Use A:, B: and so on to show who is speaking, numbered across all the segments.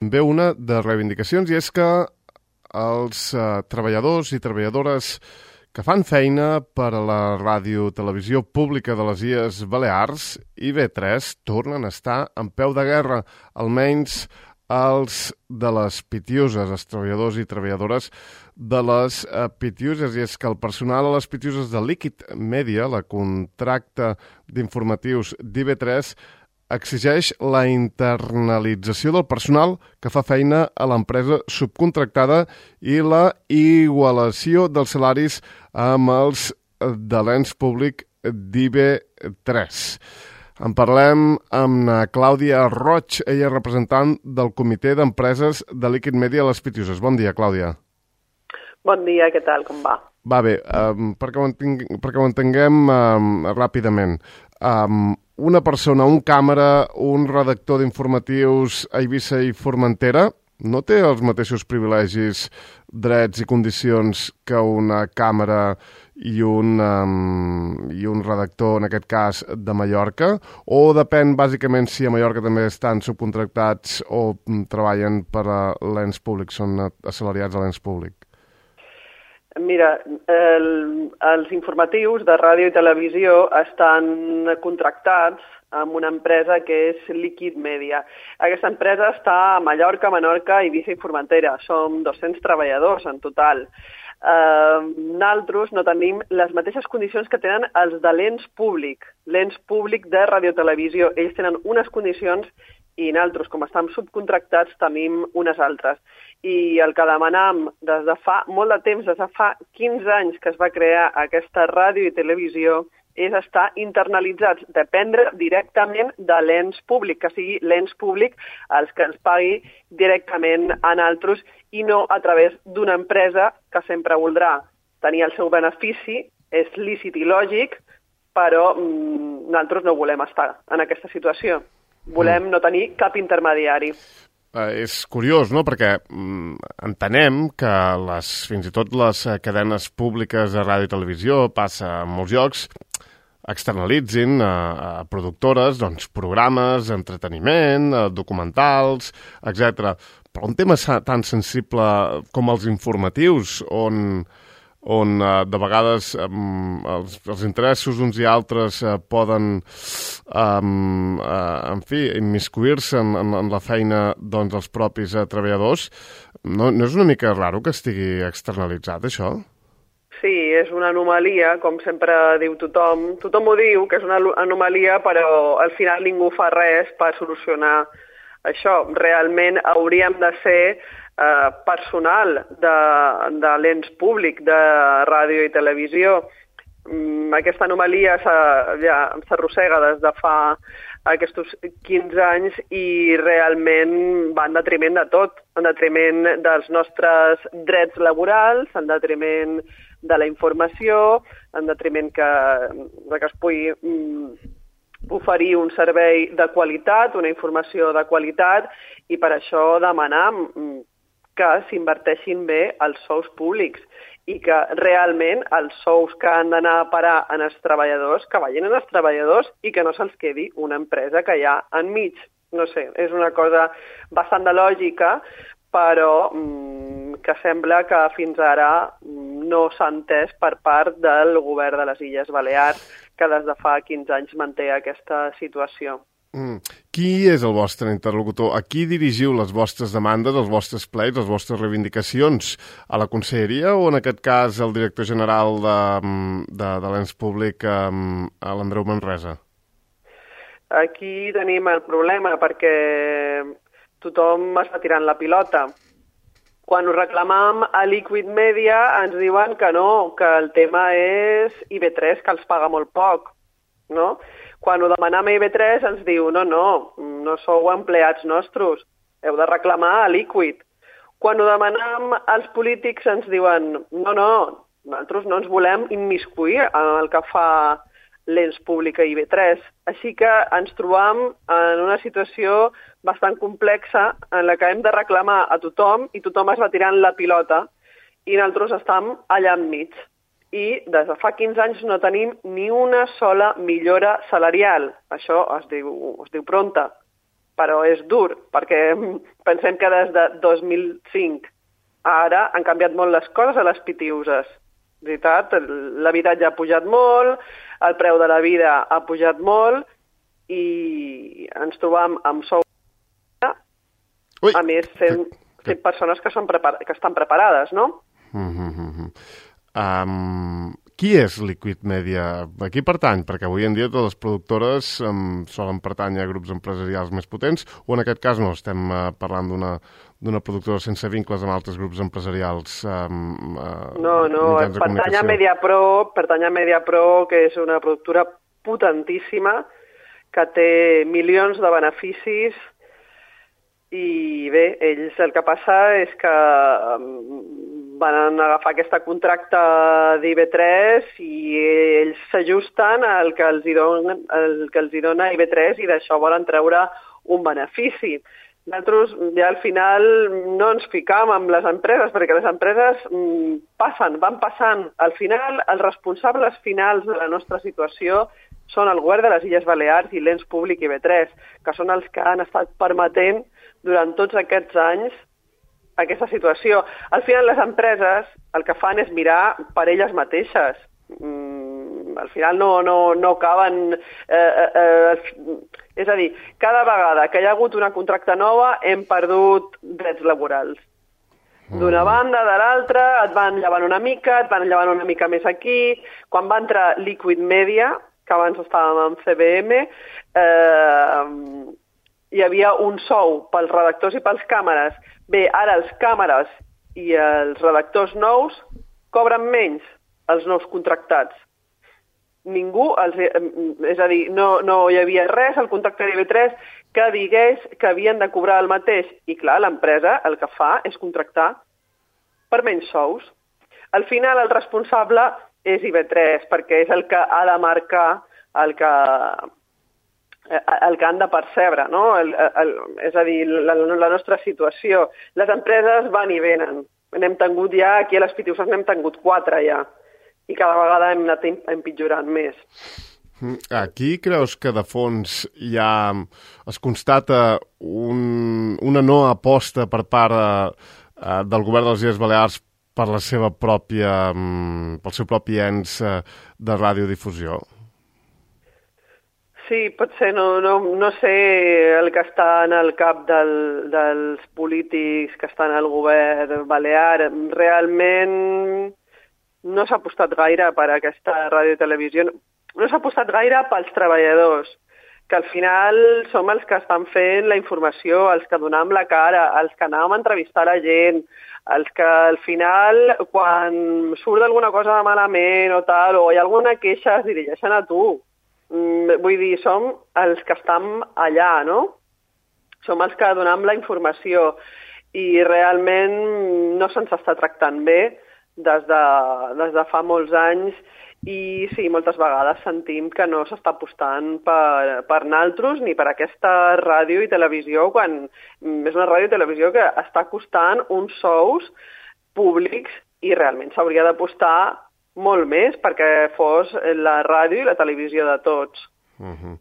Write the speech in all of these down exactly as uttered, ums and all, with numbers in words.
A: Ve una de reivindicacions i és que els eh, treballadors i treballadores que fan feina per a la ràdio-televisió pública de les Illes Balears, I V tres, tornen a estar en peu de guerra, almenys els de les Pitiuses, els treballadors i treballadores de les eh, Pitiuses, i és que el personal a les Pitiuses de Liquid Media, la contracta d'informatius d'I V tres, exigeix la internalització del personal que fa feina a l'empresa subcontractada i la igualació dels salaris amb els de l'ens públic d'I V tres. En parlem amb na Clàudia Roig, ella és representant del Comitè d'Empreses de Liquid Media a les Pitiuses. Bon dia, Clàudia.
B: Bon dia, què tal, com va?
A: Va bé, um, perquè, ho entenc, perquè ho entenguem um, ràpidament. Um, una persona, un càmera, un redactor d'informatius a Eivissa i Formentera no té els mateixos privilegis, drets i condicions que una càmera i un, um, i un redactor, en aquest cas, de Mallorca? O depèn, bàsicament, si a Mallorca també estan subcontractats o um, treballen per a l'ens públic, són assalariats a l'ens públic?
B: Mira, el, els informatius de ràdio i televisió estan contractats amb una empresa que és Liquid Media. Aquesta empresa està a Mallorca, Menorca, Eivissa i Formentera. Som dos-cents treballadors en total. Eh, nosaltres no tenim les mateixes condicions que tenen els de l'ens públic, l'ens públic de radiotelevisió. Ells tenen unes condicions i nosaltres, com estem subcontractats, tenim unes altres. I el que demanam des de fa molt de temps, des de fa quinze anys que es va crear aquesta ràdio i televisió, és estar internalitzats, dependre directament de l'ens públic, que sigui l'ens públic els que ens pagui directament a nosaltres i no a través d'una empresa que sempre voldrà tenir el seu benefici, és lícit i lògic, però mm, nosaltres no volem estar en aquesta situació. Volem no tenir cap intermediari.
A: Uh, és curiós, no?, perquè mm, entenem que les, fins i tot les cadenes públiques de ràdio i televisió, passa en molts llocs, externalitzin a, a productores doncs, programes, entreteniment, a documentals, etcètera. Però un tema tan sensible com els informatius, on... on eh, de vegades eh, els, els interessos d'uns i altres eh, poden, eh, eh, en fi, immiscuir-se en, en, en la feina doncs, dels propis eh, treballadors. No, no és una mica raro que estigui externalitzat, això?
B: Sí, és una anomalia, com sempre diu tothom. Tothom ho diu, que és una anomalia, però al final ningú fa res per solucionar això. Realment hauríem de ser eh, personal de, de l'ens públic de ràdio i televisió. Mm, aquesta anomalia ja s'arrossega des de fa aquests quinze anys i realment va en detriment de tot, en detriment dels nostres drets laborals, en detriment de la informació, en detriment que, que es pugui mm, oferir un servei de qualitat, una informació de qualitat, i per això demanar que s'inverteixin bé els sous públics i que realment els sous que han d'anar a parar en els treballadors, que vagin en els treballadors i que no se'ls quedi una empresa que hi ha enmig. No sé, és una cosa bastant de lògica, però mmm, que sembla que fins ara no s'ha entès per part del govern de les Illes Balears, que des de fa quinze anys manté aquesta situació.
A: Mm. Qui és el vostre interlocutor? A qui dirigiu les vostres demandes, els vostres pleits, les vostres reivindicacions? A la conselleria o, en aquest cas, el director general de, de, de l'ens públic, a l'Andreu Manresa?
B: Aquí tenim el problema perquè tothom està tirant la pilota. Quan ho reclamam a Liquid Media ens diuen que no, que el tema és I V tres, que els paga molt poc, no? Quan ho demanam a I V tres ens diu no, no, no sou empleats nostres, heu de reclamar a Liquid. Quan ho demanam als polítics ens diuen no, no, nosaltres no ens volem immiscuir en el que fa l'ens públic a I V tres. Així que ens trobam en una situació bastant complexa en la que hem de reclamar a tothom i tothom es va tirant la pilota i nosaltres estem allà enmig. I des de fa quinze anys no tenim ni una sola millora salarial. Això es diu, es diu pronta. però és dur, perquè pensem que des de dos mil cinc a ara han canviat molt les coses a les Pitiuses. Veritat, l'habitatge ha pujat molt, el preu de la vida ha pujat molt i ens trobam amb sou
A: Ui,
B: a més sent,
A: que,
B: sent persones que, són prepar que estan preparades, no?
A: Mm -hmm. um, qui és Liquid Media? A qui pertany? Perquè avui en dia totes les productores um, solen pertànyer a grups empresarials més potents, o en aquest cas no, estem uh, parlant d'una d'una productora sense vincles amb altres grups empresarials um, uh,
B: no, no, pertany a Mediapro, pertany a Mediapro, que és una productora potentíssima, que té milions de beneficis, i bé, ells el que passa és que van agafar aquesta contracte d'I V tres i ells s'ajusten al que els hi dona, el que els hi dona I V tres i d'això volen treure un benefici. Nosaltres ja al final no ens ficam amb les empreses, perquè les empreses mm, passen, van passant. Al final, els responsables finals de la nostra situació són el govern de les Illes Balears i l'ens públic I V tres, que són els que han estat permetent durant tots aquests anys aquesta situació. Al final, les empreses el que fan és mirar per elles mateixes. Mm, al final no, no, no acaben... Eh, eh, és a dir, cada vegada que hi ha hagut una contracta nova hem perdut drets laborals. D'una banda, de l'altra, et van llevant una mica, et van llevant una mica més aquí. Quan va entrar Liquid Media, que abans estàvem amb C B M, eh, hi havia un sou pels redactors i pels càmeres. Bé, ara els càmeres i els redactors nous cobren menys, els nous contractats. Ningú, els, és a dir, no, no hi havia res al contracte d'I V tres que digués que havien de cobrar el mateix. I clar, l'empresa el que fa és contractar per menys sous. Al final el responsable és I V tres, perquè és el que ha de marcar el que, el que han de percebre, no? El, el, és a dir, la, la nostra situació. Les empreses van i venen. N'hem tingut ja, aquí a les Pitiuses n'hem tingut quatre ja, i cada vegada hem anat empitjorant més.
A: Aquí creus que de fons ja es constata un, una no aposta per part eh, del govern de les Illes Balears per la seva pròpia, pel seu propi ens eh, de radiodifusió?
B: Sí, pot ser, no, no, no sé el que està en el cap del, dels polítics que estan al govern balear. Realment no s'ha apostat gaire per aquesta ràdio i televisió. No s'ha apostat gaire pels treballadors, que al final som els que estan fent la informació, els que donem la cara, els que anàvem a entrevistar la gent, els que al final, quan surt alguna cosa malament o tal, o hi ha alguna queixa, es dirigeixen a tu. Vull dir, som els que estem allà, no? Som els que donem la informació i realment no se'ns està tractant bé des de, des de fa molts anys i sí, moltes vegades sentim que no s'està apostant per, per naltros ni per aquesta ràdio i televisió, quan és una ràdio i televisió que està costant uns sous públics i realment s'hauria d'apostar molt més perquè fos la ràdio i la televisió de tots.
A: Uh-huh.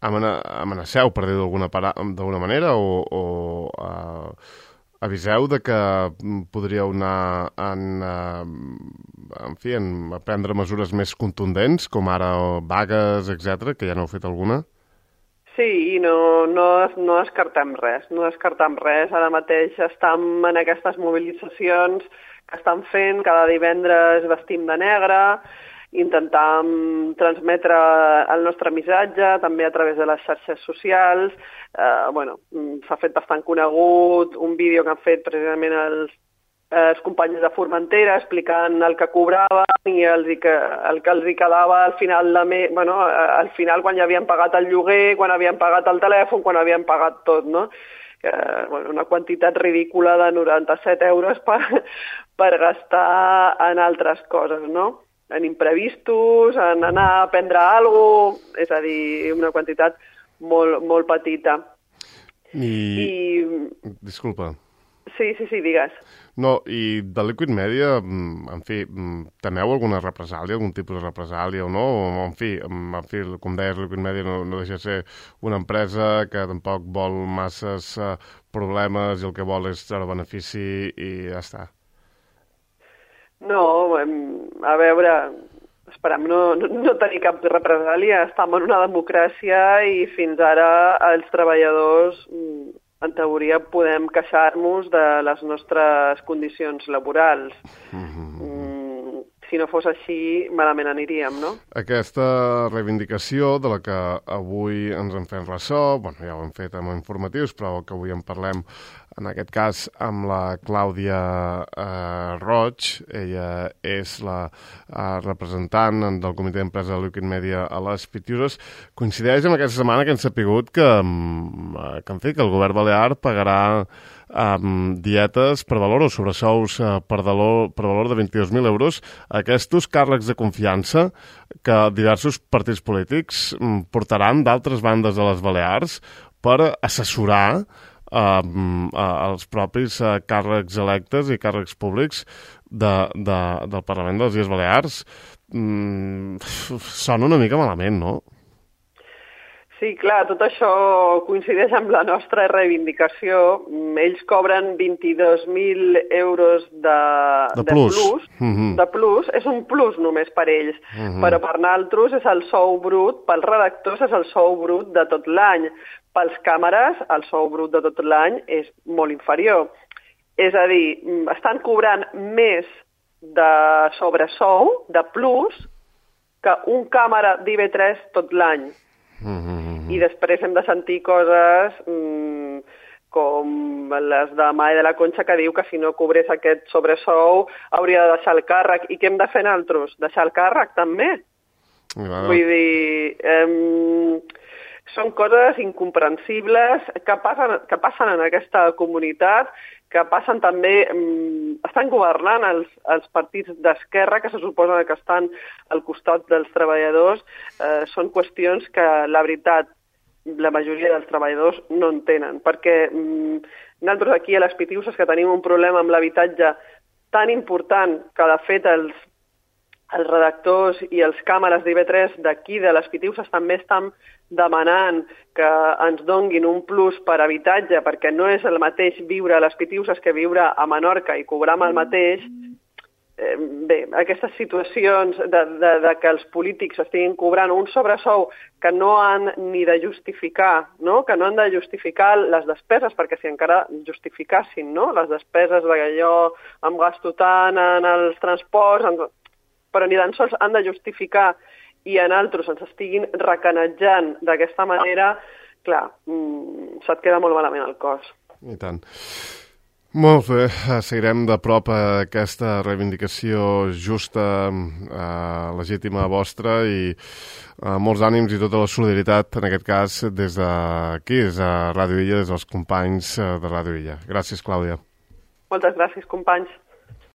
A: Amana, amenaceu, per dir-ho d'alguna manera, o, o uh, aviseu de que podríeu anar en, uh, en fi, en, a prendre mesures més contundents, com ara vagues, etcètera, que ja n'heu fet alguna?
B: Sí, no, no, no descartem res, no descartem res. Ara mateix estem en aquestes mobilitzacions que estan fent, cada divendres vestim de negre, intentam transmetre el nostre missatge, també a través de les xarxes socials. Eh, bueno, s'ha fet bastant conegut un vídeo que han fet precisament els, els companys de Formentera explicant el que cobraven i els, que, el que els hi quedava al final, de me, bueno, al final quan ja havien pagat el lloguer, quan havien pagat el telèfon, quan havien pagat tot, no? Eh, bueno, una quantitat ridícula de noranta-set euros per, per gastar en altres coses, no? En imprevistos, en anar a prendre alguna cosa, és a dir, una quantitat molt, molt petita.
A: I... I... Disculpa.
B: Sí, sí, sí, digues.
A: No, i de Liquid Media, en fi, temeu alguna represàlia, algun tipus de represàlia o no? O, en fi, en fi, com deies, Liquid Media no, no deixa de ser una empresa que tampoc vol masses uh, problemes i el que vol és treure benefici i ja està.
B: No, a veure, esperem no, no, no tenir cap represàlia. Estem en una democràcia i fins ara els treballadors, en teoria, podem queixar-nos de les nostres condicions laborals. Mm-hmm. Si no fos així, malament aniríem, no?
A: Aquesta reivindicació de la que avui ens en fem ressò, bueno, ja ho hem fet amb informatius, però que avui en parlem, en aquest cas, amb la Clàudia eh, Roig. Ella és la eh, representant del comitè d'empresa de Liquid Media a les Pitiuses. Coincideix amb aquesta setmana que hem sapigut que, que, en fi, que el govern balear pagarà um, dietes per valor o sobresous uh, per, valor, per valor de vint-i-dos mil euros a aquests càrrecs de confiança que diversos partits polítics um, portaran d'altres bandes de les Balears per assessorar Uh, uh, els propis uh, càrrecs electes i càrrecs públics de, de, del Parlament de les Illes Balears. Mm, sona una mica malament, no?
B: Sí, clar, tot això coincideix amb la nostra reivindicació. Ells cobren vint-i-dos mil euros de,
A: de plus.
B: De plus,
A: mm-hmm.
B: de plus. És un plus només per ells, mm-hmm. però per nosaltres és el sou brut, pels redactors és el sou brut de tot l'any. Pels càmeres, el sou brut de tot l'any és molt inferior. És a dir, estan cobrant més de sobresou, de plus, que un càmera d'I V tres tot l'any. Mm-hmm. I després hem de sentir coses mmm, com les de Mai de la Concha, que diu que si no cobrés aquest sobresou hauria de deixar el càrrec. I què hem de fer nosaltres? Deixar el càrrec, també? Wow. Vull dir... Eh, són coses incomprensibles que passen, que passen en aquesta comunitat, que passen també... Eh, estan governant els, els partits d'esquerra, que se suposa que estan al costat dels treballadors. Eh, són qüestions que, la veritat, la majoria dels treballadors no entenen, perquè eh, nosaltres aquí a les Pitiuses, que tenim un problema amb l'habitatge tan important que, de fet, els, els redactors i els càmeres d'I V tres d'aquí, de les Pitiuses, també estan demanant que ens donguin un plus per habitatge, perquè no és el mateix viure a les Pitiuses que viure a Menorca i cobrar el mateix. Eh, bé, aquestes situacions de, de, de que els polítics estiguin cobrant un sobresou que no han ni de justificar, no? Que no han de justificar les despeses, perquè si encara justificassin, no? Les despeses de que jo em gasto tant en els transports, en... però ni tan sols han de justificar, i en altres ens estiguin recanatjant d'aquesta manera, clar, mmm, se't queda molt malament el cos.
A: I tant. Molt bé, seguirem de prop aquesta reivindicació justa, eh, legítima vostra, i eh, molts ànims i tota la solidaritat, en aquest cas, des d'aquí, des de Ràdio Illa, des dels companys de Ràdio Illa. Gràcies, Clàudia.
B: Moltes gràcies, companys.